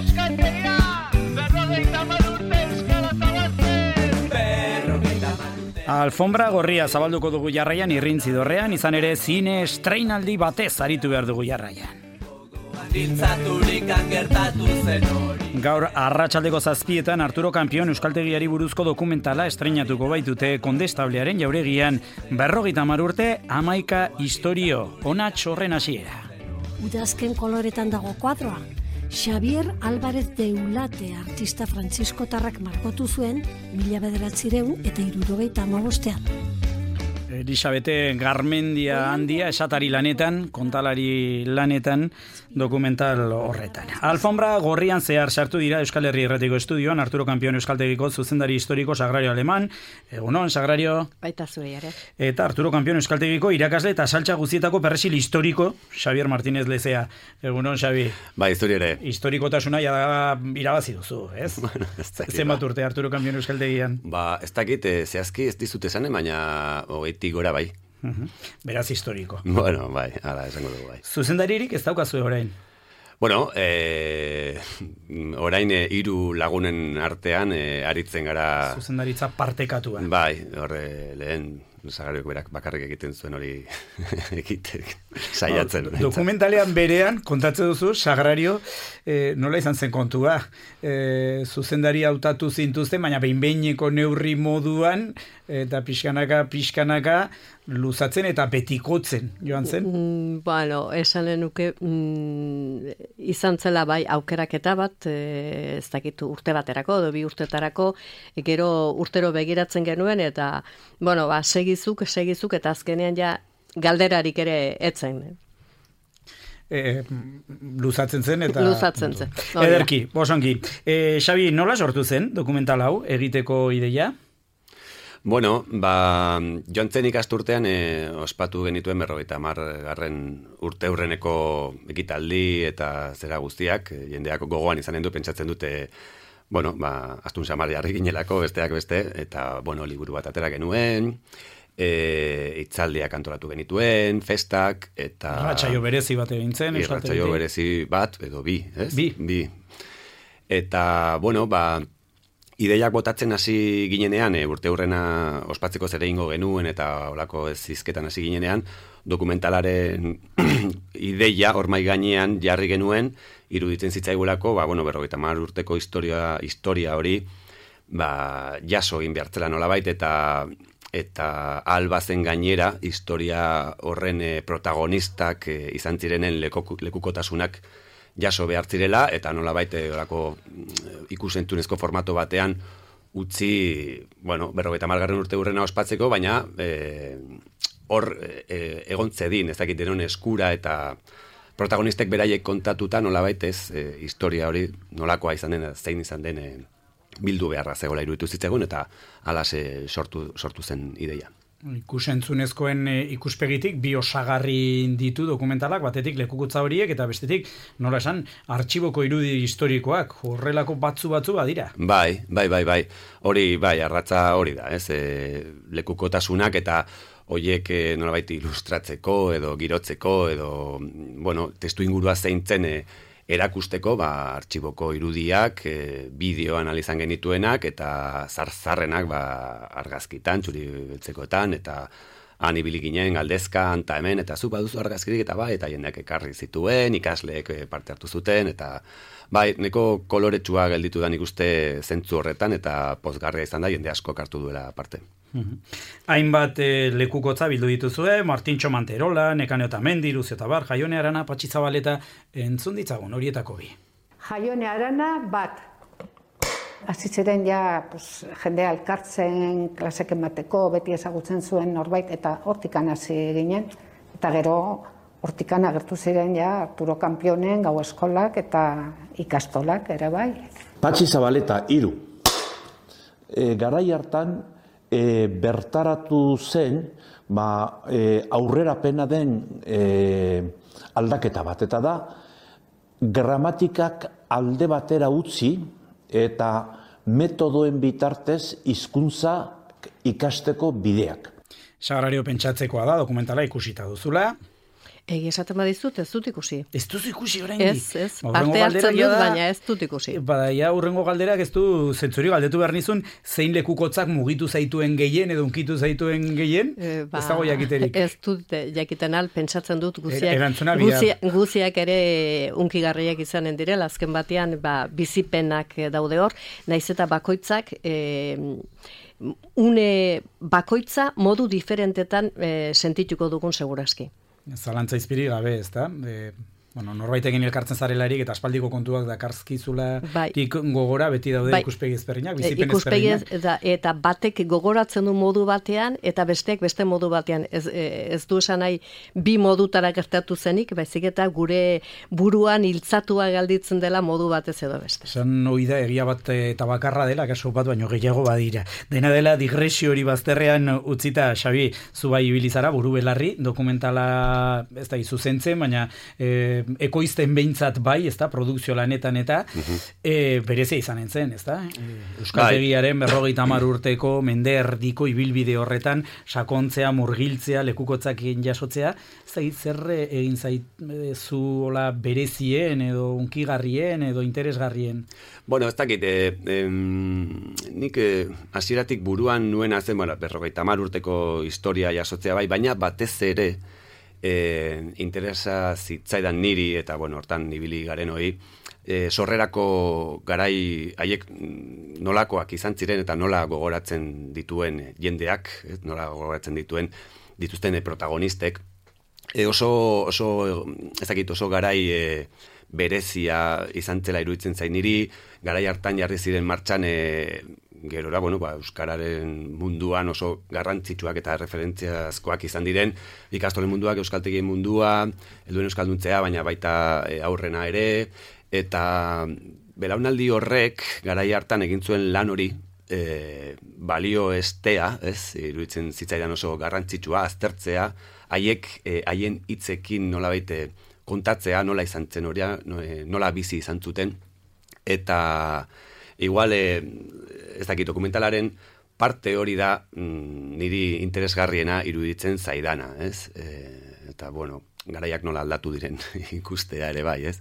eskaintzegia, 50 urte euskara zabaltzen. Alfombra gorria zabalduko dugu jarraian irrintzi dorrean, izan ere zine estreinaldi batez aritu behar dugu jarraian. Gaur arratsaldeko 7:00 Arturo Campion euskaltegiari buruzko dokumentala estreinatuko baitute Kondestablearen jauregian. 50 urte, 11 istorio, onats horren hasiera. Udazken koloretan dago kuadroa. Xavier Álvarez de Ulate artista frantziskotarrak margotu zuen 1975. Elisabete Garmendia handia esatari lanetan, kontalari lanetan, dokumental horretan. Alfombra gorrian zehar sartu dira Euskal Herri Irratiko Estudioan Arturo Campion euskaltegiko zuzendari historiko Sagrario Aleman. Egunon, Sagrario. Baita zure, ere. Eta Arturo Campion euskaltegiko irakasle eta saltza guztietako perresil historiko Xavier Martínez Lezea. Egunon, Xavi. Ba, historia ere. Historikotasuna irabazi duzu, ez? Bueno, zenbat urte Arturo Campion euskaltegian? Ba, ez dakit, zehazki ez dizut esan, baina hogeitik gora bai. Beraz historiko. Bueno, bai, ala esango dugu bai. Zuzendaririk ez daukazu orain? Bueno, orain 3 lagunen artean aritzen gara... Zuzendaritza partekatua. Bai, horre lehen Sagrariok berak bakarrik egiten zuen hori saiatzen. Dokumentalean berean, kontatzen duzu, Sagrario nola izan zen kontua. Zuzendari hautatu zintuzten, baina behin-behineko neurri moduan, eta pixkanaka, luzatzen eta betikotzen, joan zen? Bueno, esanen nuke, izan zela bai aukeraketa bat, ez dakitu urte baterako, edo 2 urtetarako, gero urtero begiratzen genuen, eta, bueno, ba, segizuk, eta azkenean ja galderarik ere etzen. Luzatzen zen, eta... Luzatzen zen. Ederki, bosongi. Xabi, nola sortu zen dokumental hau egiteko ideia? Bueno, ba, joan zen ikasturtean ospatu genituen 50. urteurreneko ekitaldi eta zera guztiak, jendeak gogoan izanen du, pentsatzen dute, bueno, ba, astun samar jarri ginelako, besteak beste, eta, bueno, liburu bat atera genuen, hitzaldiak antolatu genituen, festak, eta... Irratsaio berezi bat egin zen, irratsaio berezi bat, edo bi, ez? Bi. Eta, bueno, ba... Ideiak botatzen hasi ginenean, urteurrena ospatzeko zer egingo genuen eta olako ez hizketan hasi ginenean, dokumentalaren ideia hormai gainean jarri genuen, iruditzen zitzaigulako, ba, bueno, 50 urteko historia hori, ba, jaso egin behartzela nolabait, eta albazen gainera, historia horren protagonistak izan zirenen lekukotasunak jaso behar zirela, eta nolabait orako ikusentunezko formato batean utzi, bueno, 50. urteurrena ospatzeko, baina hor egon zedin, ez dakit denon eskura eta protagonistek beraiek kontatuta nolabait ez historia hori nolakoa izan den, zein izan den bildu beharra zegoela iruditu zitzegun, eta alase sortu zen ideia. Ikusentzunezkoen ikuspegitik bi osagarri ditu dokumentalak, batetik lekukotza horiek eta bestetik, nola esan, artxiboko irudi historikoak, horrelako batzu badira. Bai. Hori, bai, arratza hori da, ez? Lekukotasunak eta horiek nolabait ilustratzeko edo girotzeko edo, bueno, testu ingurua zeintzen erakusteko, ba, artxiboko irudiak, bideoan izan genituenak, eta zarzarrenak, ba, argazkitan, txuri beltzekoetan, eta han ibili ginen, galdezka, anta hemen, eta zu baduzu argazkirik, eta bai, eta jendeak ekarri zituen, ikasleek parte hartu zuten, eta bai, neko koloretsua gelditu da nik uste zentzu horretan, eta pozgarria izan da, jende asko hartu duela parte. Hainbat lekukotza bildu dituzue, Martintxo Manterola, Nekane Otamendi, Lucio Tabar, Jaione Arana, Patxi Zabaleta, entzun ditzagun horietako bi. Jaione Arana bat. Hasi ziren ja jende alkartzen, klasek emateko, beti ezagutzen zuen norbait, eta hortikan hasi ginen. Eta gero hortikan agertu ziren ja Arturo Campionen gau eskolak eta ikastolak ere bai. Patxi Zabaleta, 3. Garai hartan, bertaratu zen aurrerapena den aldaketa bat, eta da gramatikak alde batera utzi eta metodoen bitartez hizkuntza ikasteko bideak. Sagrario pentsatzekoa da, dokumentala ikusita duzula. Egi esaten badizut, ez dut ikusi. Ez duzu ikusi oraindik? Ez, parte hartzen dut, baina ez dut ikusi. Bada, ja, urrengo galderak ez du zentzuri galdetu behar nizun, zein lekukotzak mugitu zaituen gehien edo unkitu zaituen gehien? Ez dago jakiterik. Ez dut jakiten pentsatzen dut Erantzuna bihar. guziak ere unkigarriak izanen direla, azken batean bizipenak daude hor, naiz eta bakoitzak une bakoitza modu diferentetan sentituko dugun segurazki. Zalantza izpiri gabe, ez da? Norbaitekin elkartzen zarelarik eta aspaldiko kontuak dakarskizula gogora beti daude ikuspegi ezberdinak, bizipen ezberdinak. Eta batek gogoratzen du modu batean eta besteak beste modu batean. Ez du esan nahi bi modutara gertatu zenik, baizik eta gure buruan hiltzatua galditzen dela modu batez edo beste. Esan hori da, egia bat eta bakarra dela, kaso bat baino gehiago badira. Dena dela digresio hori bazterrean utzita, Xabi, zu bai ibilizara, buru belarri, dokumentala ez da izuzentzen, baina ekoizten behintzat bai, ez da, produkzio lanetan eta berezia izanen zen, ez da? Euskaltegiaren 50 urteko mende erdiko ibilbide horretan sakontzea, murgiltzea, lekukotzak jasotzea, ez da, zer egin zaizu hola berezien edo unkigarrien edo interesgarrien? Bueno, ez dakit, nik hasieratik buruan nuena zen, 50 urteko historia jasotzea bai, baina batez ere interesa zitzaidan niri eta hortan ibili garen hori sorrerako garai haiek nolakoak izan ziren eta nola gogoratzen dituen jendeak, nola gogoratzen dituzten protagonistek oso garai berezia izan zela iruditzen zain niri, garai hartan jarri ziren martxan gerora, euskararen munduan oso garrantzitsuak eta referentziazkoak izan diren, ikastolen munduak, euskaltegien mundua, helduen euskalduntzea, baina baita aurrena ere, eta belaunaldi horrek garai hartan egin zuen lan hori, balio estea, iruditzen zitzaidan oso garrantzitsua, aztertzea, haien hitzekin nolabait kontatzea, nola izan zen hori, nola bizi izan zuten, eta igual, ez dakit, dokumentalaren parte hori da niri interesgarriena iruditzen zaidana, ez? Eta, garaiak nola aldatu diren ikustea ere bai, ez?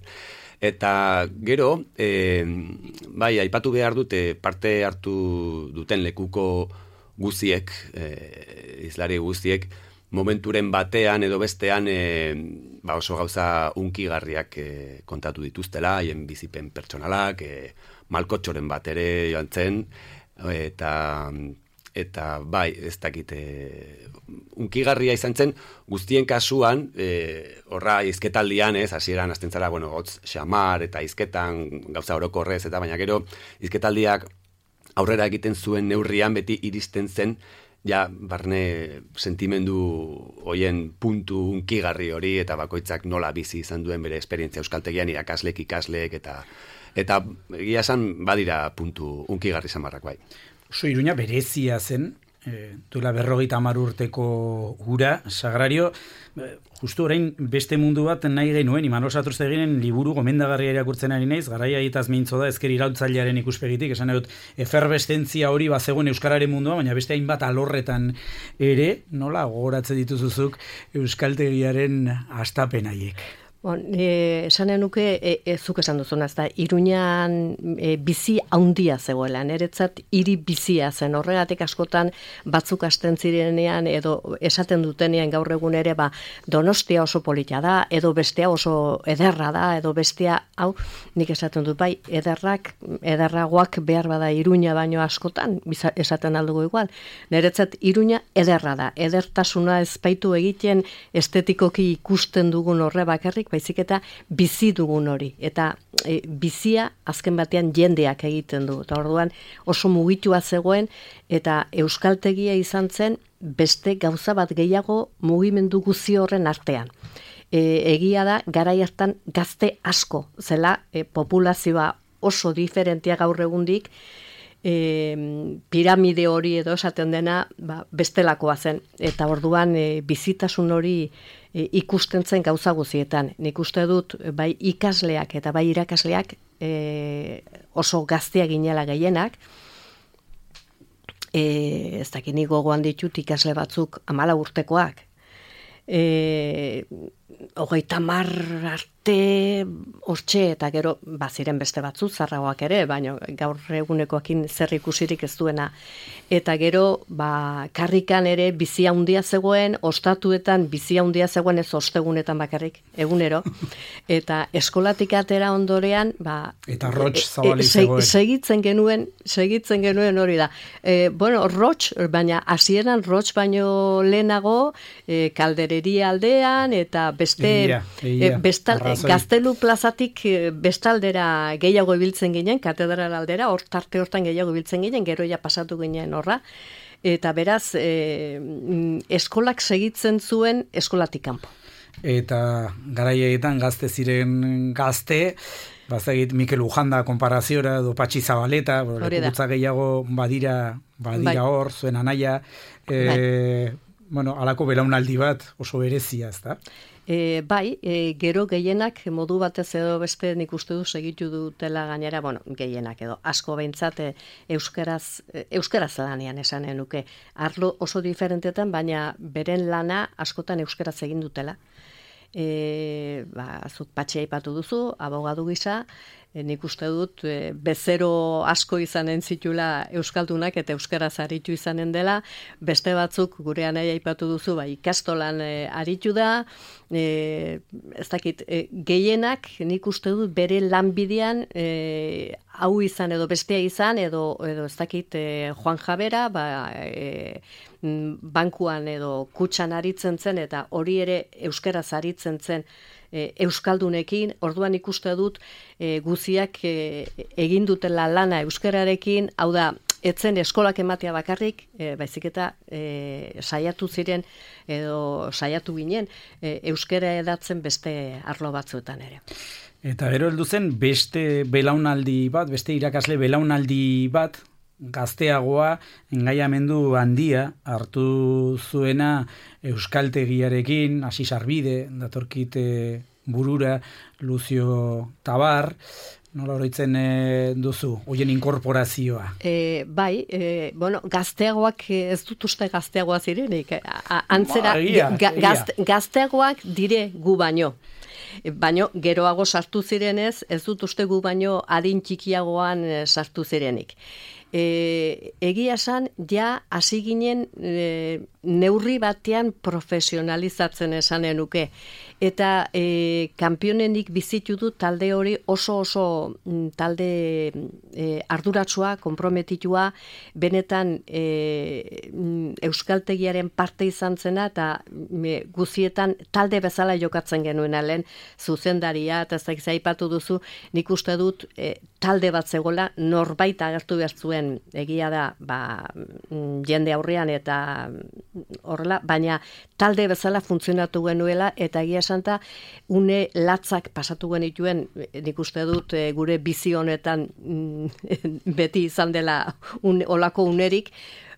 Eta gero, bai, aipatu behar dute parte hartu duten lekuko guziek, izlari guziek, momenturen batean edo bestean oso gauza unkigarriak kontatu dituztela, haien bizipen pertsonalak, malkotxoren bat ere joan zen, eta bai, ez dakit, unkigarria izan zen, guztien kasuan, horra izketaldian, hasieran hasten zara, hotz xamar eta izketan gauza orokorrez, eta baina gero izketaldiak aurrera egiten zuen neurrian beti iristen zen, ja, barne sentimendu hoien puntu unkigarri hori, eta bakoitzak nola bizi izan duen bere esperientzia euskaltegian irakaslek, ikasleek, eta egia esan badira puntu unkigarri samarrak bai. Oso Iruña berezia zen, duela 50 urteko ura, Sagrario, justu orain beste mundu bat nahi genuen, Imanol Satruzteginen liburu gomendagarria irakurtzen ari naiz, garaia hitaz mintzo da, ezker iraultzailearen ikuspegitik, esan dut, eferbestentzia hori bazegoen euskararen mundua, baina beste hainbat alorretan ere, nola gogoratzen dituzuzuk euskaltegiaren hastapen haiek? Esanen nuke, zuk esan duzuna, ez da, Iruñan bizi haundia zegoela, niretzat hiri bizia zen, horregatik askotan batzuk hasten zirenean, edo esaten dutenean gaur egun ere, Donostia oso polita da, edo bestea oso ederra da, edo bestea, hau, nik esaten dut, bai, ederragoak behar bada Iruña baino askotan, esaten aldugu igual, niretzat Iruña ederra da, edertasuna ezpaitu egiten estetikoki ikusten dugun horre bakarrik, baizik eta bizi dugun hori. Eta bizia azken batean jendeak egiten du. Eta orduan oso mugitua zegoen eta euskaltegia izan zen beste gauza bat gehiago mugimendu guzi horren artean. Egia da, garai hartan gazte asko zela populazioa oso diferentia gaur egundik, piramide hori edo esaten dena bestelakoa zen. Eta orduan bizitasun hori ikusten zen gauza guzietan. Nik uste dut bai ikasleak eta bai irakasleak oso gaztea ginela gehienak. Ez dakit nik gogoan ditut ikasle batzuk 14 urtekoak. 30 arte hortxe, eta gero baziren beste batzu zarragoak ere, baina gaur egunekoakin zer ikusirik ez duena. Eta gero, karrikan ere bizia handia zegoen, ostatuetan bizia handia zegoen, ez ostegunetan bakarrik, egunero. Eta eskolatik atera ondorean, eta rotx zabali zegoen. Segitzen genuen hori da. Rotx, baina hasieran rotx baino lehenago, kaldereria aldean, eta beste Gaztelu plazatik bestaldera gehiago ibiltzen ginen, katedral aldera, tarte hortan gehiago ibiltzen ginen, gero ja pasatu ginen horra, eta beraz, eskolak segitzen zuen eskolatik kanpo. Eta garaietan gazte ziren gazte, bazagit Mikel Ujanda konparaziora, edo Patxi Zabaleta, lekugutza gehiago badira hor, zuen anaia, alako belaunaldi bat oso berezia, ez da? Gero gehienak modu batez edo beste nik uste du segitu dutela gainera, gehienak edo asko behintzat euskaraz lanean esanen nuke. Arlo oso diferentetan, baina beren lana askotan euskaraz egin dutela. Zuk Patxi aipatu duzu, abogadu gisa, nik uste dut bezero asko izanen zitula euskaldunak eta euskaraz aritu izanen dela, beste batzuk gurean aipatu duzu, ikastolan aritu da, ez dakit, gehienak nik uste dut bere lanbidean hau izan edo bestea izan, edo ez dakit Juan Jabera, bankuan edo kutxan aritzen zen, eta hori ere euskaraz aritzen zen euskaldunekin, orduan ikuste dut guziak egin dutela lana euskararekin, hau da, etzen eskolak ematea bakarrik, baizik eta saiatu ziren, edo saiatu ginen, euskara edatzen beste arlo batzuetan ere. Eta gero heldu zen beste belaunaldi bat, beste irakasle belaunaldi bat, gazteagoa, engaiamendu handia hartu zuena euskaltegiarekin, hasi Sarbide, datorkit burura, Lucio Tabar, nola oroitzen duzu, hoien inkorporazioa? Gazteagoak, ez dut uste gazteagoa zirenik, antzera, gazteagoak dire gu baino. Baino, geroago sartu zirenez, ez dut uste gu baino adin txikiagoan sartu zirenik. Egia esan, ja hasi ginen neurri batean profesionalizatzen esanen nuke. Eta kanpionenik bizitu du talde hori oso talde arduratsua, konprometitua, benetan euskaltegiaren parte izan zena, eta guzietan talde bezala jokatzen genuen lehen zuzendaria, eta ez aipatu duzu, nik uste dut talde bat zegoela, norbait agertu behar zuen, egia da, jende aurrean eta horrela, baina talde bezala funtzionatu genuela, eta egia santa, une latzak pasatu genituen, nik uste dut gure bizi honetan beti izan dela olako unerik,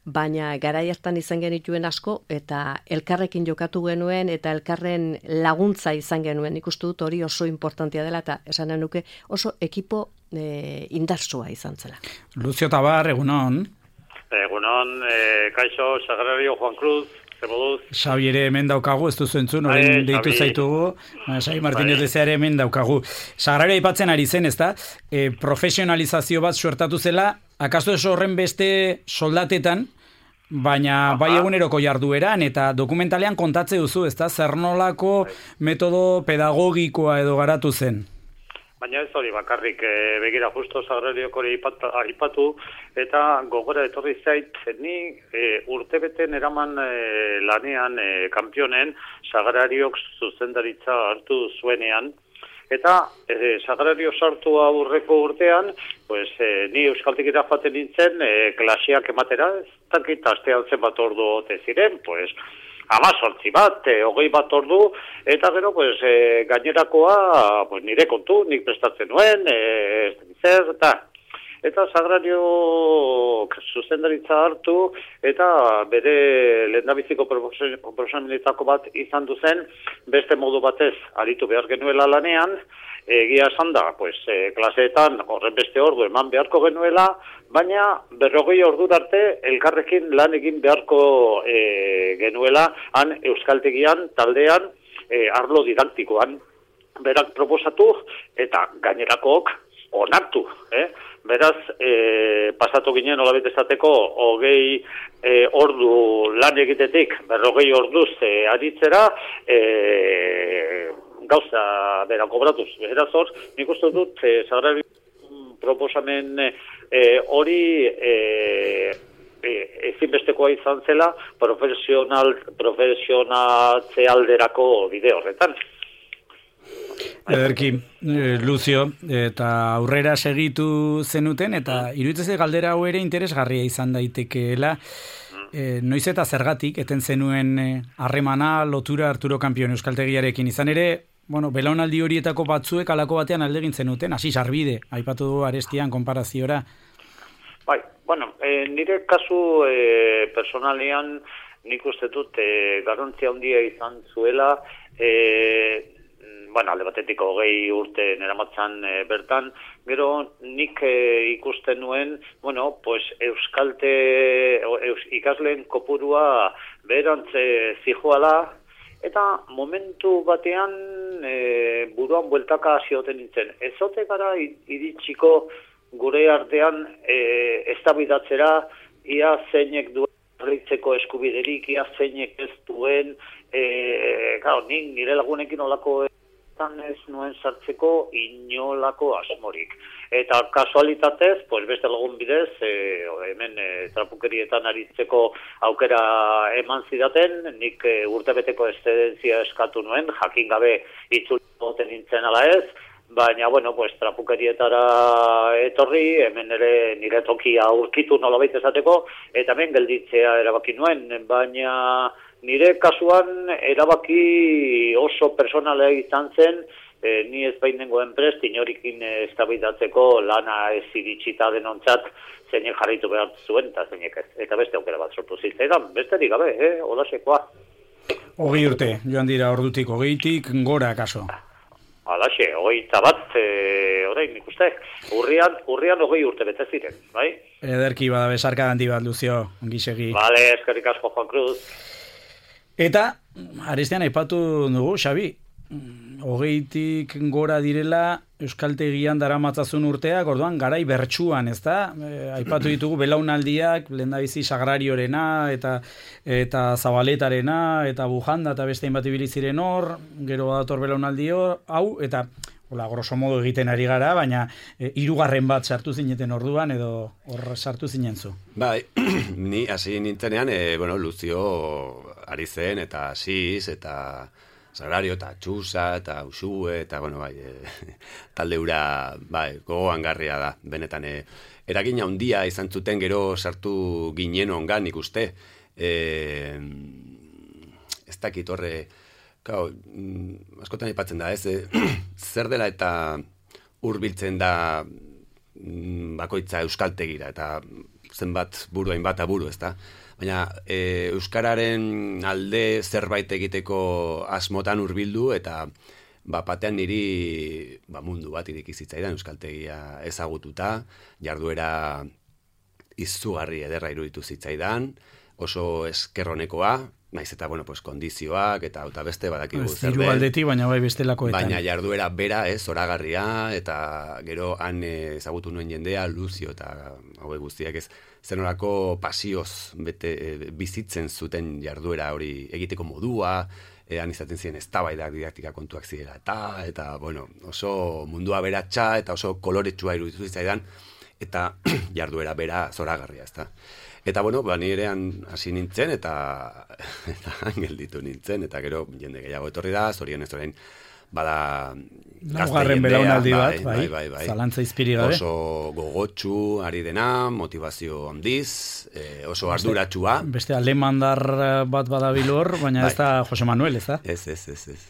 baina garai hartan izan genituen asko, eta elkarrekin jokatu genuen, eta elkarren laguntza izan genuen, nik uste dut hori oso importantia dela, eta esanen nuke oso ekipo indartsua izan zela. Lucio Tabar, egunon. Egunon, kaixo, Sagrario Juan Cruz, zemoduz. Xabi ere hemen daukagu, ez duzu entzun, orain deitu zaitugu. Xabi Martínez Lezea hemen daukagu. Sagrario aipatzen ari zen, ezta? Profesionalizazio bat suertatu zela, akaso ez horren beste soldatetan, baina bai eguneroko jardueran, eta dokumentalean kontatze duzu, ezta? Zer nolako metodo pedagogikoa edo garatu zen? Baina ez hori bakarrik, begira justo Sagrariok hori aipatu, eta gogora etorri zait, ni urtebeten eraman lanean kanpionen Sagrariok zuzendaritza hartu zuenean, eta Sagrario sartu aurreko urtean, pues, ni euskaltekira joaten nintzen, klaseak ematera, ez dakit astean zenbat ordu ote ziren, pues, 18 bat, 20 bat ordu, eta gero, pues, gainerakoa, pues, nire kontu, nik prestatzen nuen, zer, eta Sagrario zuzendaritza hartu, eta bere lehendabiziko proposamenetako bat izan duzen, beste modu batez aritu behar genuela lanean, egia esan da, pues, klaseetan horren beste ordu eman beharko genuela, baina 40 ordura arte elkarrekin lan egin beharko genuela han euskaltegian, taldean, arlo didaktikoan, berak proposatu eta gainerakook onartu, Beraz, pasatu ginen olabet esateko 20 ordu lan egitetik, 40 orduz aritzera, gauza bera kobratuz. Beraz hor, nik uste dut, Sagrario proposamen hori ezinbestekoa izan zela profesionatze alderako bide horretan. Ederki, Lucio, eta aurrera segitu zenuten, eta iruditzen galdera hau ere interesgarria izan daitekeela, noiz eta zergatik, eten zenuen harremana, lotura Arturo Kampion euskaltegiarekin izan ere, belaunaldi horietako batzuek alako batean aldegin zenuten, hasi sarbide, aipatu du arestian konparaziora. Bai, nire kasu personalian nik uste dut garrantzia handia izan zuela, alde batetik 20 urte neramatzan bertan, gero nik ikusten nuen, ikasleen kopurua beherantz zijoala, eta momentu batean buruan bueltaka zioten nintzen. Ezote gara iritsiko gure artean eztabaidatzera, ia zeinek duen herritzeko eskubiderik, ia zeinek ez duen, nire lagunekin olako ez nuen sartzeko inolako asmorik. Eta kasualitatez, beste lagun bidez, hemen trapukerietan aritzeko aukera eman zidaten, nik urtebeteko eszedentzia eskatu nuen, jakin gabe itzulten nintzen ala ez, baina, trapukerietara etorri, hemen ere nire tokia aurkitu nolabait esateko, eta hemen gelditzea erabaki nuen, baina nire kasuan erabaki oso personala izan zen, ni ez bainengoen prest, inorikin eztabaidatzeko lana ez iritsita denontzat zeinek jarritu behar zuen, eta zeinek ez. Eta beste aukera bat sortu zitzaidan, besterik gabe, holasekoa. 20 urte, joan dira ordutik 20tik, gora kaso. Halaxe, 21, orain nik uste, urrian 20 urte bete ziren, bai? Ederki bada besarka handi bat, Lucio, ongi segi. Bale, eskerrik asko, Juan Cruz. Eta, arestian aipatu dugu, Xabi, 20tik gora direla euskaltegian daramatzazun urteak, orduan garai bertsuan, ezta? Aipatu ditugu belaunaldiak, lehendabizi Sagrariorena, eta Zabaletarena, eta Bujanda, eta beste hainbat ibili ziren hor, gero dator belaunaldi hau, eta grosso modo egiten ari gara, baina 3. bat sartu zineten orduan, edo hor sartu zinen zu. Bai, ni hasi nintzenean, Lucio ari zen, eta Asiz, eta Sagrario, eta Txusa, eta Usue, eta, talde hura, gogoan garria da, benetan, eragina handia izan zuten gero sartu ginen ongan ikuste. Ez dakit horre, askotan aipatzen da, zer dela eta hurbiltzen da bakoitza euskaltegira, eta zenbat buru, hainbat aburu, ez da? Baina euskararen alde zerbait egiteko asmotan hurbildu, eta batean niri mundu bat irikizitzaidan euskaltegia ezagututa, jarduera izugarri ederra iruditu zitzaidan, oso eskerronekoa, naiz eta, kondizioak, eta beste badakigu zer den. Aldetik, baina bestelakoetan. Baina jarduera bera, zoragarria, eta gero han ezagutu nuen jendea, Lucio eta hauek guztiak zenolako pasioz bizitzen zuten jarduera hori egiteko modua, han izaten ziren eztabaidak didaktika kontuak zirela, eta oso mundua beratxa, eta oso koloretsua iruditu zitzaidan, eta jarduera bera zoragarria, ezta. Eta, nire hasi nintzen, eta gelditu nintzen, eta gero jende gehiago etorri da, zorionez orain bada gazte jendea, belaunaldi bat, bai, zalantza izpiri gabe. Oso gogotsu ari dena, motivazio handiz, oso arduratsua. Beste alemandar bat badabilor, baina ez da Jose Manuel, ez da? Ez.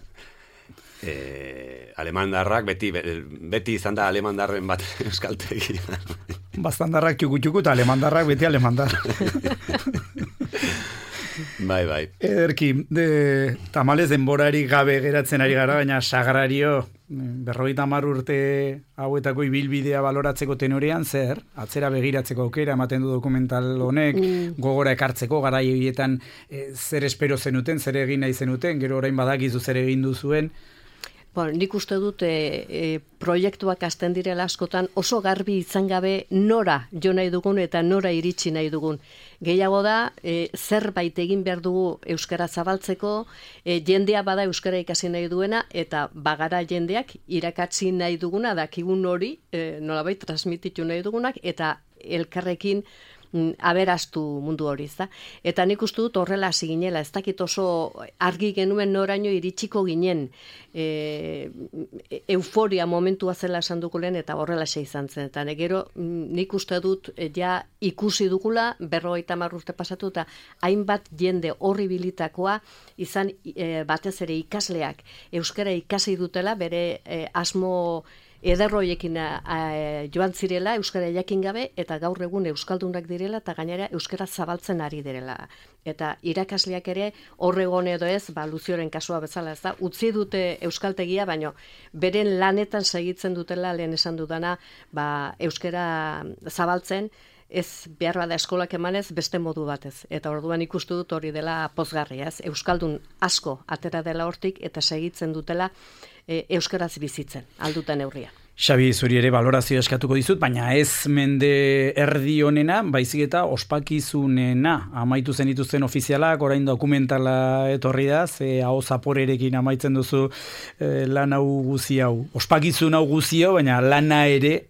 Alemandarrak, beti izan da alemandarren bat euskaltegia. Bastandarrak txuku eta alemandarrak beti alemandar. Bai. Ederki, tamalez denborarik gabe geratzen ari gara, baina Sagrario 50 urte hauetako ibilbidea baloratzeko tenorean, zer? Atzera begiratzeko aukera ematen du dokumental honek, gogora ekartzeko, garai horietan zer espero zenuten, zer egin nahi zenuten, gero orain badakizu zer egin duzuen. Bueno, nik uste dut proiektuak hasten direla askotan oso garbi izan gabe nora jo nahi dugun eta nora iritsi nahi dugun. Gehiago da, zerbait egin behar dugu euskara zabaltzeko, jendea bada euskara ikasi nahi duena, eta bagara jendeak irakatsi nahi duguna, dakigun hori, nolabait transmititu nahi dugunak, eta elkarrekin aberastu mundu hori, ezta? Eta nik uste dut horrela hasi ginela, ez dakit oso argi genuen noraino iritsiko ginen, euforia momentua zela esan dugu lehen, eta horrela izan zen. Eta gero nik uste dut ja ikusi dugula, 50 urte pasatu, eta hainbat jende horri bilitakoa izan batez ere ikasleak euskara ikasi dutela, bere asmo ederroiekin joan zirela, euskara jakin gabe, eta gaur egun euskaldunak direla, eta gainera euskara zabaltzen ari direla. Eta irakasleak ere, horregon edo ez, Luzioren kasua bezala ez da, utzi dute euskaltegia, baino beren lanetan segitzen dutela, lehen esan dudana, euskara zabaltzen, ez behar bada eskolak emanez, beste modu batez. Eta orduan ikustu dut hori dela pozgarria, ez? Euskaldun asko atera dela hortik, eta segitzen dutela euskaraz bizitzen, alduta neurria. Xabi, zuri ere balorazio eskatuko dizut, baina ez mende erdi honena, baizik eta ospakizunena. Amaitu zen dituzten ofizialak, orain dokumentala etorri da, ze hau zaporerekin amaitzen duzu lan hau guzi hau. Ospakizun hau guzi hau, baina lana ere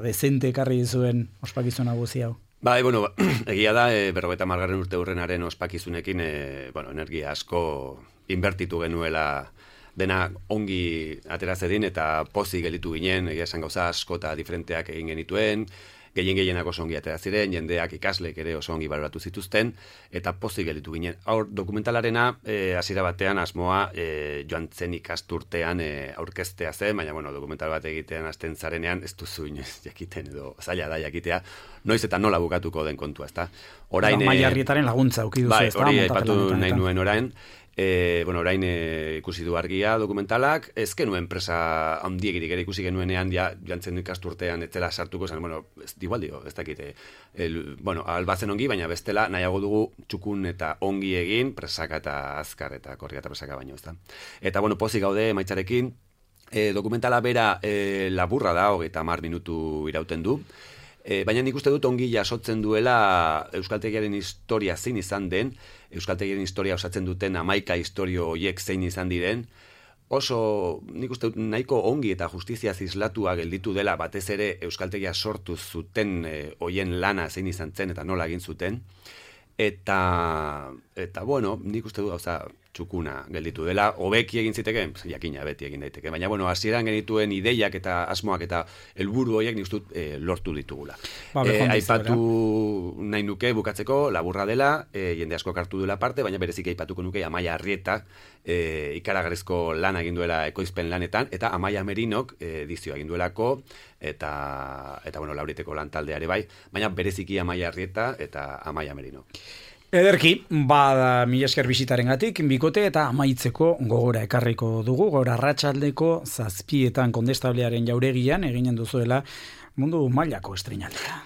dezente ekarri zuen ospakizun hau guzi hau. Bueno, egia da, 50. urte hurrenaren ospakizunekin, energia asko inbertitu genuela dena ongi atera zedin eta pozik gelitu ginen, egia esan gauza asko eta diferenteak egin genituen, gehienak oso ongi atera ziren, jendeak ikasleek ere oso ongi baloratu zituzten, eta pozik gelitu ginen. Hor, dokumentalarena, hasiera batean asmoa joan zen ikasturtean aurkeztea zen, baina dokumental bat egitean hasten zarenean, ez duzu inoiz jakiten edo zaila da jakitea, noiz eta nola bukatuko den kontua, ezta? Orain Maiarrietaren laguntza auki duzu, ezta? Hori aipatu nahi nuen orain. Orain ikusi du argia dokumentalak, ez genuen enpresa handiegirik ere ikusi genuenean, jantzen ikasturtean etzela sartuko zen, igual dio, ez dakite, albatzen ongi, baina bestela nahiago dugu txukun eta ongi egin, presaka eta azkar eta korria eta presaka baino, ez da. Eta, pozik gaude maitzarekin, dokumentala bera laburra da, 30 minutu irauten du, baina nik uste dut ongi jasotzen duela euskaltegiaren historia zein izan den, euskaltegiaren historia osatzen duten 11 historio horiek zein izan diren, oso nik uste dut nahiko ongi eta justizia islatua gelditu dela batez ere euskaltegia sortu zuten hoien lana zein izan zen eta nola egin zuten, eta nik uste dut gauza txukuna gelditu dela, hobeki egin ziteke, jakina beti egin daiteke, baina hasieran genituen ideiak eta asmoak eta helburu horiek nik uste dut lortu ditugula. Aipatu nahi nuke bukatzeko, laburra dela, jende asko hartu duela parte, baina berezik aipatuko nuke Amaia Arrieta ikaragarrizko lan egin duela ekoizpen lanetan, eta Amaia Merinok edizioa egin duelako, eta Lauriteko lan taldeare bai, baina bereziki Amaia Arrieta eta Amaia Merino. Ederki, mila esker bisitarengatik, bikote eta amaitzeko gogora ekarriko dugu, gaur arratsaldeko 7:00 Kondestablearen jauregian eginen duzuela mundu mailako estreinaldea.